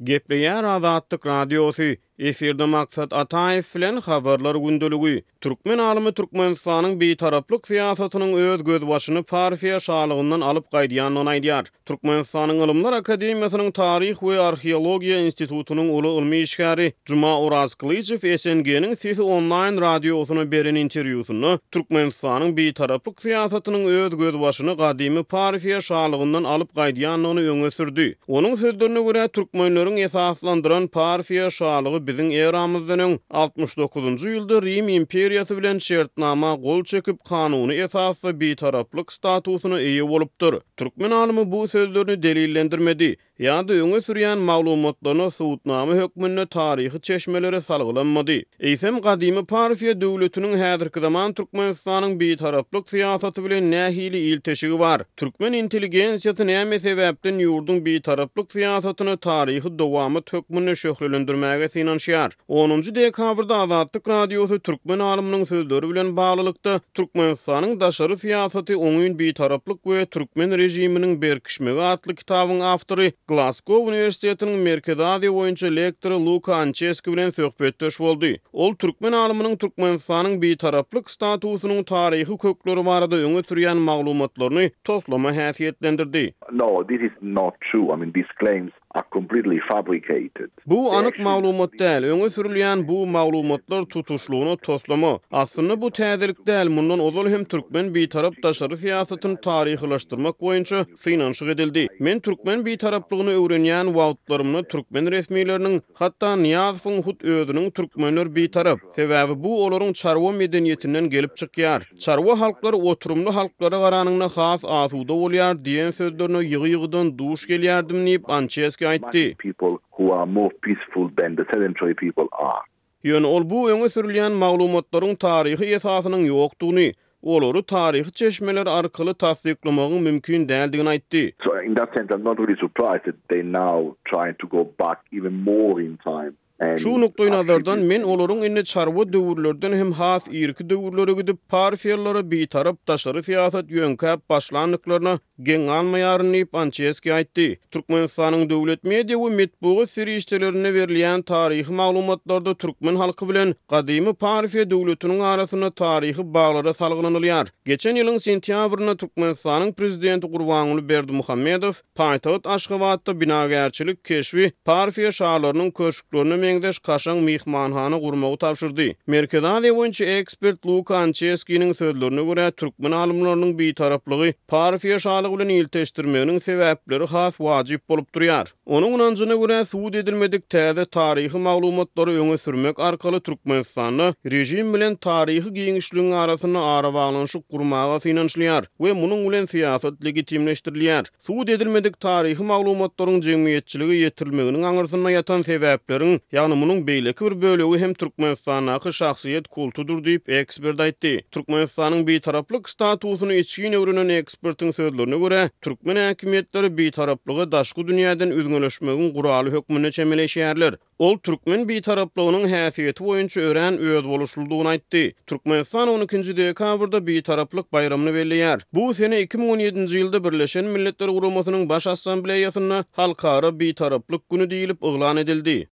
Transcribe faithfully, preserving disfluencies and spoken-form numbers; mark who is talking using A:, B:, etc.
A: Gepleýär Azatlyk Radiosy, efirde Maksat Ataýew bilen Habarlar gündeligi. Türkmen alymy Türkmenistanyň bitaraplyk syýasatynyň öz gözbaşyny Parfiýa şalygyndan alyp gaýdýandygyny aýdýar. Türkmenistanyň Ylymlar akademiýasynyň Taryh we arheologiýa institutynyň uly ylmy işgäri Juma Orazkylyjow S N G-niň Sesi onlaýn radiosyna beren interwýusynda Türkmenistanyň bitaraplyk syýasatynyň öz gözbaşyny gadymy Parfiýa şalygyndan alyp gaýdýandygyny öňe sürdi. Onuň sözlerine görä, türkmenleriň esaslandyran Parfiýa şalygy biziň eramyzdan öň altmyş dokuzynjy ýylda Rim imperiýasy bilen şertnama gol çekip, kanuny esasda bitaraplyk statusyna eýe bolupdyr. Türkmen alymy bu sözlerini delillendirmedi ýa-da öňe sürýän maglumatlaryna subutnama hökmünde taryhy çeşmelere salgylanmady. Eýsem, gadymy Parfiýa döwletiniň häzirki zaman Türkmenistanyň bitaraplyk syýasaty bilen nähili ilteşigi bar? Türkmen intelligensiýasy näme sebäpden ýurduň bitaraplyk syýasatyny taryhy dowamat hökmünde şöhlelendirmäge synanyşýar? onunjy dekabrda Azatlyk Radiosy türkmen alymynyň sözleri bilen baglylykda Türkmenistanyň daşary syýasaty oňyn bitaraplyk we türkmen režiminiň berkişmegi atly kitabyň awtory, Glasgow uniwersitetiniň Merkezi Aziýa boýunça lektory Luka Ançeski bilen söhbetdeş boldy. Ol türkmen alymynyň Türkmenistanyň bitaraplyk statusynyň taryhy kökleri barada öňe sürýän maglumatlaryny toslama häsiýetlendirdi.
B: No, this is not true. I mean, these claims are completely fabricated.
A: Bu anyk maglumat däl, öňe sürülýän bu maglumatlar tutuşlygyna toslama. Aslynda bu täzelik däl, mundan ozal hem türkmen bitarap daşary syýasatyny taryhylaşdyrmak boýunça synanyşyk edildi. Men türkmen bitaraplygyny öwrenýän wagtlarymda türkmen resmileriniň, hatda Nyýazowyň hut özüniň "Türkmenler bitarap, sebäbi bu olaryň çarwa medeniýetinden gelip çykýar. Çarwa halklar oturymly halklara garanyňda has asuda bolýar" diýen sözlerine ýygy-ýygydan duş gelýärdim diýip, Ançeski aýtdy.
B: People who are more peaceful than the sedentary people are.
A: Ýöne ol bu öňe sürülýän maglumatlaryň taryhy esasynyň ýokdugyny, olary taryhy çeşmeler arkaly tassyklamagyň mümkin däldigini aýtdy.
B: So in that sense, I'm not really surprised that they now trying to go back even more in time.
A: Şu nukdaý nazardan men olaryň indi çarwa döwürlerden hem has irki döwürlere gidip, parfiýalylara bitarap daşary syýasat ýöňkäp başlandyklaryna geň galmaýaryn diýip, Ançeski aýtdy. Türkmenistanyň döwlet media we metbugat serişdelerinde berilýän taryhy maglumatlarda türkmen halky bilen gadymy Parfiýa döwletiniň arasynda taryhy baglara salgylanylýar. Geçen ýylyň sentýabrynda Türkmenistanyň prezidenti Gurbanguly Berdimuhamedow paýtagt Aşgabatda binagärçilik keşbi Parfiýa şalarynyň köşklerine meňzeş kaşaň myhmanhana gurmagy tabşyrdy. Merkezi Aziýa boýunça ekspert Luka Ançeskiniň sözlerine görä, türkmen alymlarynyň bitaraplygy Parfiýa şalygy bilen ilteşdirmeginiň sebäpleri has wajyp bolup durýar. Onuň ynanjyna görä, subut edilmedik täze taryhy maglumatlary öňe sürmek arkaly Türkmenistanda režim bilen taryhy giňişligiň arasynda arabaglanyşyk gurmaga synanyşylýar we munuň bilen syýasat legitimleşdirilýär. Subut edilmedik taryhy maglumatlaryň jemgyýetçilige ýetirilmeginiň aňyrsynda ýatan sebäpleriň, ýagny munuň beýleki bir bölegi hem Türkmenistandaky şahsyýet kultudyr diýip, ekspert aýtdy. Türkmenistanyň bitaraplyk statusyny içgin öwrenen ekspertiň sözlerine görä, türkmen häkimiýetleri bitaraplygy daşky dünýäden üzňeleşmegiň guraly hökmünde çemeleşýärler. Ol türkmen bitaraplygynyň häsiýeti boýunça örän özboluşlydygyny aýtdy. Türkmenistan on ikinji dekabrda bitaraplyk baýramyny belleýär. Bu sene iki müň on ýedinji ýylda Birleşen Milletler Guramasynyň Baş Assambleýasynda Halkara bitaraplyk güni diýlip yglan edildi.